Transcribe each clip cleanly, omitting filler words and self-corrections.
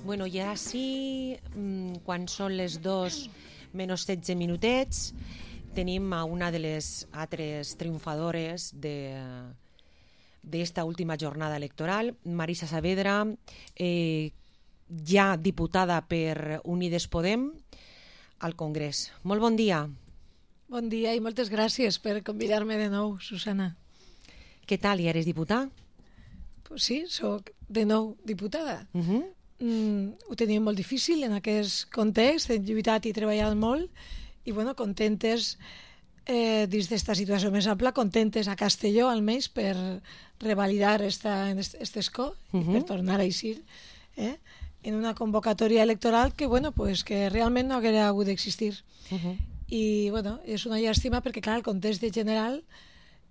Bueno, ja sí, quan són les 2 menys 16 minutets, tenim a una de les altres triomfadores d'esta última jornada electoral, Marisa Saavedra, ja diputada per Unides Podem al Congrés. Molt bon dia. Bon dia i moltes gràcies per convidar-me de nou, Susana. Què tal, ja eres diputada? Pues sí, soc de nou diputada. Ho teníem molt difícil en aquest context, hem lluitat i treballat molt i bueno, contentes dins d'esta situació més ampla, contentes a Castelló almenys per revalidar este escó i per tornar a eixir en una convocatòria electoral que, bueno, pues, que realment no hauria hagut d'existir. I bueno, és una llàstima perquè clar, el context de general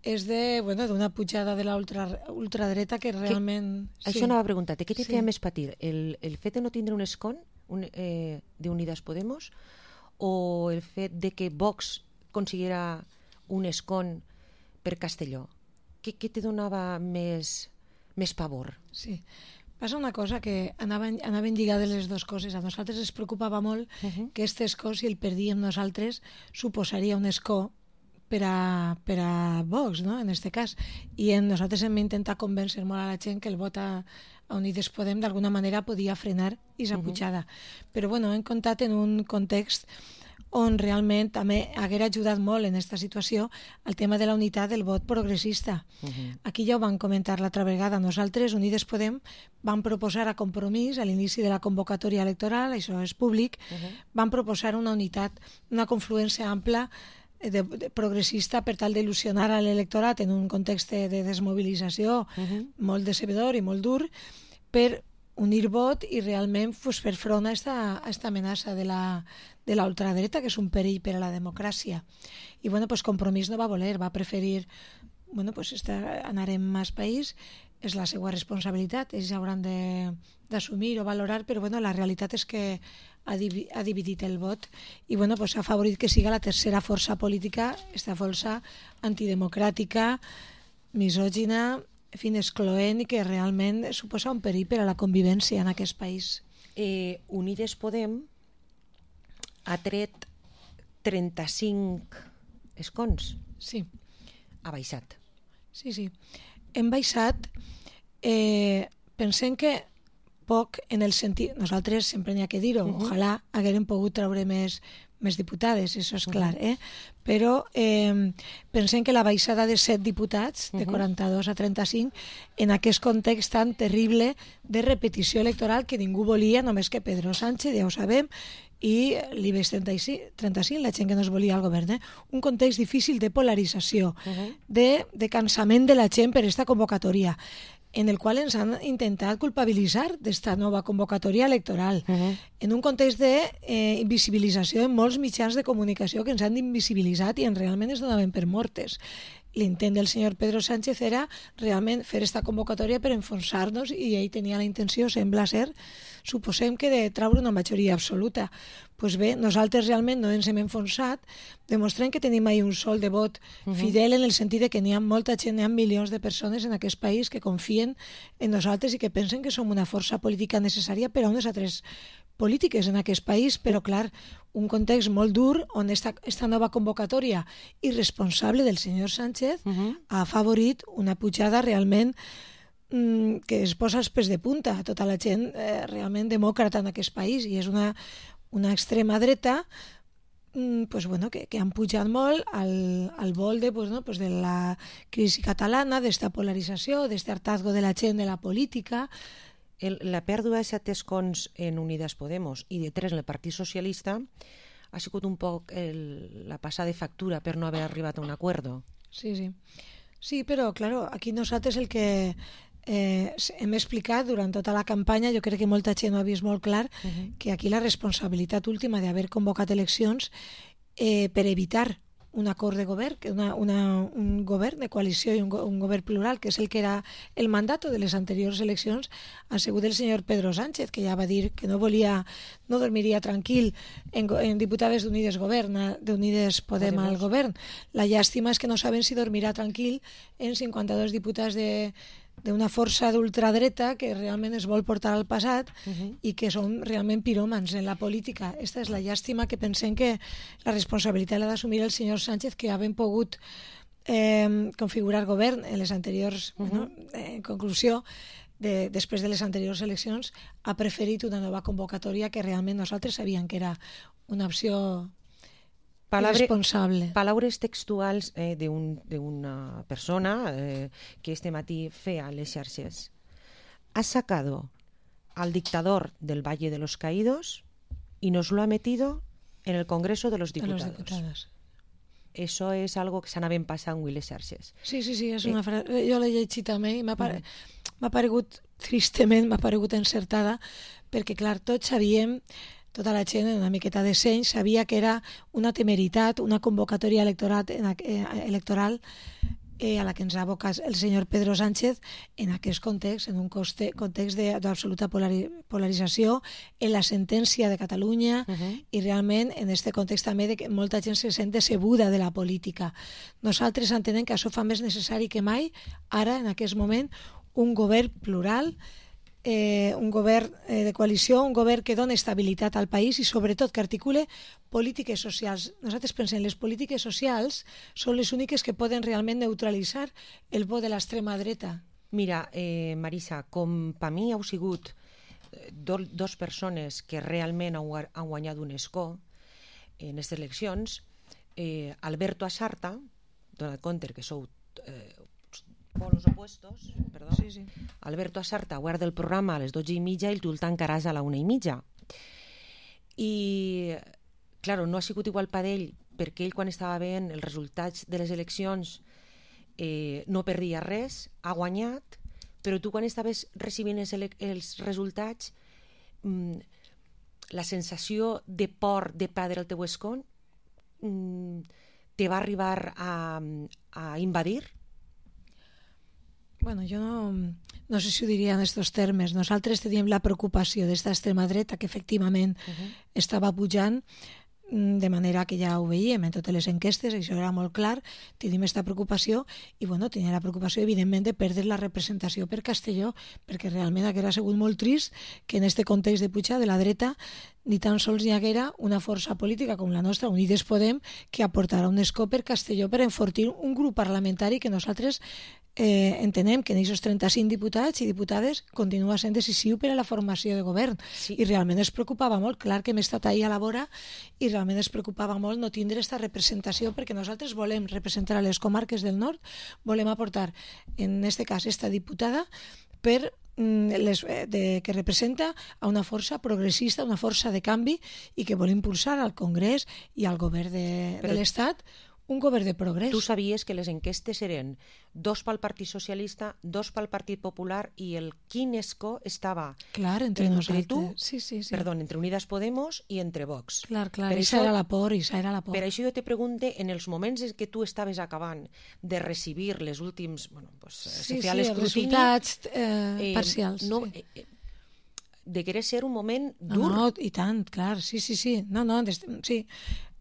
és d'una pujada de la ultradreta que realment... Això anava a preguntar-te, què te feia més patir? El fet de no tindre un escó d'Unides Podemos o el fet de que Vox consiguera un escó per Castelló? Què te donava més pavor? Sí, passa una cosa que anaven lligades les dues coses. A nosaltres ens preocupava molt que aquest escó, si el perdíem nosaltres, suposaria un escó per a Vox, no? En aquest cas. I nosaltres hem intentat convèncer molt a la gent que el vot a Unides Podem d'alguna manera podia frenar aquesta pujada. Però bueno, hem comptat en un context on realment també haguera ajudat molt en aquesta situació el tema de la unitat del vot progressista. Aquí ja ho vam comentar l'altra vegada. Nosaltres, Unides Podem, vam proposar a Compromís, a l'inici de la convocatòria electoral, això és públic, vam proposar una unitat, una confluència ampla progressista per tal d'il·lusionar a l'electorat en un context de desmobilització molt decebedor i molt dur per unir vot i realment fer front a aquesta amenaça de la ultradreta, que és un perill per a la democràcia. I bueno, pues Compromís no va voler, va preferir anar en més país, és la seva responsabilitat, ells hauran d'assumir o valorar, però bueno, la realitat és que ha dividit el vot i bueno, pues ha favorit que siga la tercera força política, aquesta força antidemocràtica, misògina, en fi, excloent i que realment suposa un perill per a la convivència en aquest país. Unides Podem ha tret 35 escons. Sí. Ha baixat. Sí. Hem baixat, pensem que poc en el sentit... Nosaltres sempre n'hi ha que dir-ho, ojalà haguérem pogut treure més diputades, això és clar, però pensem que la baixada de 7 diputats, de 42 a 35, en aquest context tan terrible de repetició electoral que ningú volia, només que Pedro Sánchez, ja ho sabem, i l'IBEX 35, la gent que no es volia al govern. Un context difícil de polarització, de cansament de la gent per aquesta convocatòria, en el qual ens han intentat culpabilitzar d'esta nova convocatòria electoral, en un context d'invisibilització en molts mitjans de comunicació que ens han invisibilitzat i realment es donaven per mortes. L'intent del senyor Pedro Sánchez era realment fer aquesta convocatòria per enfonsar-nos i ell tenia la intenció, sembla ser, suposem que de treure una majoria absoluta. Doncs bé, nosaltres realment no ens hem enfonsat, demostrem que tenim ahir un sol de vot fidel en el sentit que n'hi ha molta gent, n'hi ha milions de persones en aquest país que confien en nosaltres i que pensen que som una força política necessària per a unes altres polítiques en aquest país, però clar, un context molt dur on esta nova convocatòria irresponsable del senyor Sánchez ha afavorit una pujada realment que es posa els pèls de punta a tota la gent realment demòcrata en aquest país i és una extrema dreta que han pujat molt al vol de la crisi catalana, d'esta polarització, d'este hartazgo de la gent de la política. La pèrdua de 7 escons en Unides Podemos i de 3 en el Partit Socialista ha sigut un poc la passada de factura per no haver arribat a un acuerdo. Sí, però, claro, aquí nosaltres el que hem explicat durant tota la campanya, jo crec que molta gent ho ha vist molt clar, que aquí la responsabilitat última d'haver convocat eleccions per evitar un acord de govern, un govern de coalició i un govern plural, que és el que era el mandat de les anteriors eleccions, ha sigut el senyor Pedro Sánchez, que ja va dir que no dormiria tranquil en diputades d'Unides Podem al govern. La llàstima és que no saben si dormirà tranquil en 52 diputats d'una força d'ultradreta que realment es vol portar al passat i que són realment piròmans en la política. Esta és la llàstima, que pensem que la responsabilitat l'ha d'assumir el senyor Sánchez, que havent pogut configurar govern en les anteriors, en conclusió, després de les anteriors eleccions, ha preferit una nova convocatòria que realment nosaltres sabíem que era una opció irresponsable. Palabras textuals d'una persona que este matí feia les xarxes. Ha sacado al dictador del Valle de los Caídos y nos lo ha metido en el Congreso de los Diputados. Eso es algo que s'anaven passant avui les xarxes. Sí, és una frase. Jo l'he llegit també i m'ha paregut, tristament, m'ha paregut encertada, perquè, clar, tots sabíem, tota la gent en una miqueta de seny sabia que era una temeritat, una convocatòria electoral a la que ens ha abocat el senyor Pedro Sánchez en aquest context, en un context d'absoluta polarització, en la sentència de Catalunya i realment en aquest context també de que molta gent se sent decebuda de la política. Nosaltres entenem que això fa més necessari que mai, ara, en aquest moment, un govern plural, un govern de coalició, un govern que dona estabilitat al país i sobretot que articule polítiques socials. Nosaltres pensem que les polítiques socials són les úniques que poden realment neutralitzar el vot de l'extrema dreta. Mira, Marisa, com per mi heu sigut dos persones que realment han guanyat un escó en aquestes eleccions, Alberto Asarta, donat compte que sou polos opuestos, perdó. Sí. Alberto Asarta guarda el programa a les 12:30 i tu el tancaràs a la 1:30. I, claro, no ha sigut igual per ell, perquè ell, quan estava veient els resultats de les eleccions, no perdia res, ha guanyat, però tu, quan estaves recibint els resultats, la sensació de por de perdre el teu escó te va arribar a invadir? Bueno, jo no sé si ho diria en aquests termes. Nosaltres teníem la preocupació d'esta extrema dreta que efectivament estava pujant, de manera que ja ho veiem en totes les enquestes, això era molt clar, tenim aquesta preocupació i tenia la preocupació evidentment de perdre la representació per Castelló, perquè realment hauria sigut molt trist que en aquest context de puja de la dreta ni tan sols hi haguera una força política com la nostra, Unides Podem, que aportarà un escó per Castelló per enfortir un grup parlamentari que nosaltres entenem que en aquests 35 diputats i diputades continua sent decisiu per a la formació de govern. Sí. I realment es preocupava molt, clar que hem estat ahir a la vora, i realment es preocupava molt no tindre aquesta representació, perquè nosaltres volem representar a les comarques del nord, volem aportar, en aquest cas, esta diputada que representa a una força progressista, una força de canvi, i que vol impulsar al Congrés i al govern de l'Estat un govern de progrés. Tu sabies que les enquestes eren 2 pel Partit Socialista, 2 pel Partit Popular, i el quin escó estava entre nosaltres. Tu, sí. Perdó, entre Unidas Podemos i entre Vox. Clar, això era la por, Per això jo te pregunte, en els moments en què tu estaves acabant de recibir les últims... se feia l'escrutini... resultats parcials. Degué ser un moment dur. No, i tant, clar, sí. Sí,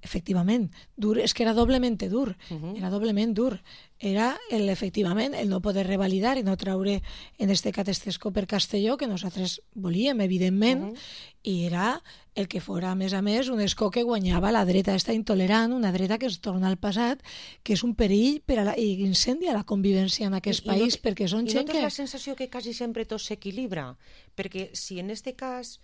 efectivament, dur, és que era doblement dur, era doblement dur. Era, efectivament, el no poder revalidar i no traure en este cas este escó per Castelló, que nosaltres volíem, evidentment, i era el que fora, a més, un escó que guanyava la dreta esta intolerant, una dreta que es torna al passat, que és un perill i incendia la convivència en aquest país, perquè són gent que... I no tens la sensació que quasi sempre tot s'equilibra? Perquè si en este cas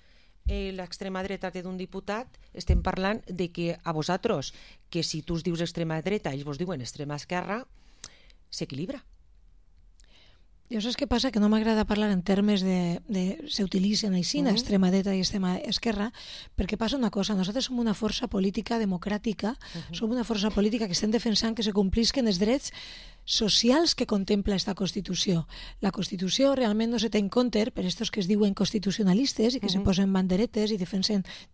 l'extrema dreta té d'un diputat, estem parlant de que a vosaltres, que si tu us dius extrema dreta, ells vos diuen extrema esquerra, s'equilibra. Jo saps què passa? Que no m'agrada parlar en termes de s'utilitzen així, extrema dreta i extrema esquerra, perquè passa una cosa, nosaltres som una força política democràtica, som una força política que estem defensant que se complisquen els drets socials que contempla esta Constitució. La Constitució realment no se té en compte per estos que es diuen constitucionalistes i que se posen banderetes i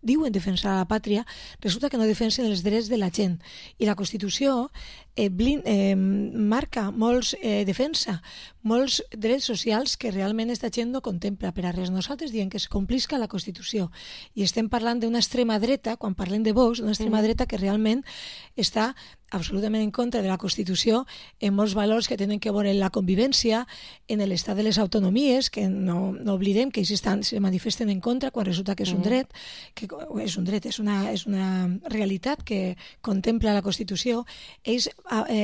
diuen defensar a la pàtria, resulta que no defensen els drets de la gent. I la Constitució marca defensa molts drets socials que realment esta gent no contempla per a res. Nosaltres diem que es complisca la Constitució i estem parlant d'una extrema dreta, quan parlem de Vox, d'una extrema dreta que realment està absolutament en contra de la Constitució en molts valors que tenen que veure en la convivència, en l'estat de les autonomies, que no oblidem que ells se manifesten en contra quan resulta que és un dret, és una realitat que contempla la Constitució. Ells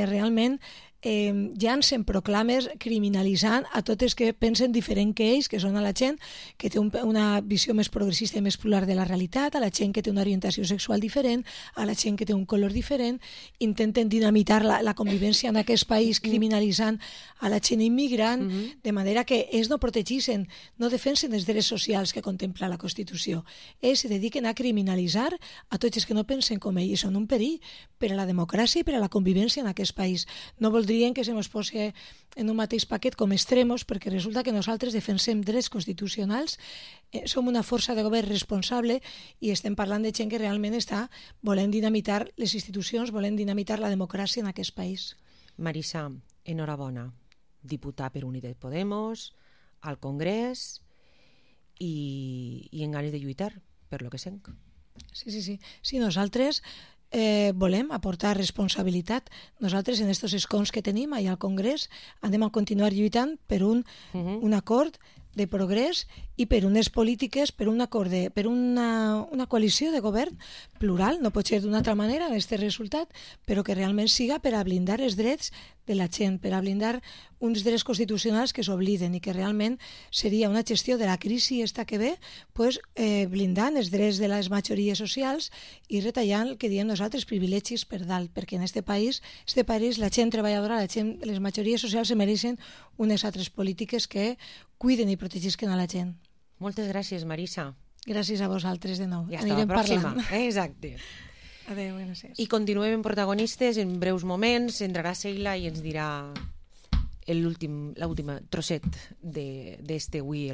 realment llancen proclames criminalitzant a totes que pensen diferent que ells, que són a la gent que té una visió més progressista i més plural de la realitat, a la gent que té una orientació sexual diferent, a la gent que té un color diferent. Intenten dinamitar la convivència en aquest país criminalitzant a la gent immigrant, de manera que ells no protegeixen, no defensen els drets socials que contempla la Constitució. Ells se dediquen a criminalitzar a tots els que no pensen com ells, i són un perill per a la democràcia i per a la convivència en aquest país. No voldrien que se ens posi en un mateix paquet com extremos, perquè resulta que nosaltres defensem drets constitucionals, som una força de govern responsable i estem parlant de gent que realment està volent dinamitar les institucions, volent dinamitar la democràcia en aquest país. Marisa, enhorabona, diputada per Unides Podemos, al Congrés i en ganes de lluitar per lo que senc. Sí, nosaltres volem aportar responsabilitat. Nosaltres en aquests escons que tenim allà al Congrés anem a continuar lluitant per un acord de progrés i per unes polítiques, per un acord, per una coalició de govern plural, no pot ser d'una altra manera aquest resultat, però que realment siga per a blindar els drets de la gent, per a blindar uns drets constitucionals que s'obliden, i que realment seria una gestió de la crisi esta que ve, blindant els drets de les majories socials i retallant el que diem nosaltres privilegis per dalt, perquè en este país la gent treballadora, les majories socials se mereixen unes altres polítiques que cuiden i protegisquen a la gent. Moltes gràcies, Marisa. Gràcies a vosaltres de nou. I hasta la pròxima. Exacte. Adéu, gràcies. I continuem en protagonistes en breus moments. Entrarà Sheila i ens dirà l'últim trosset d'este avui.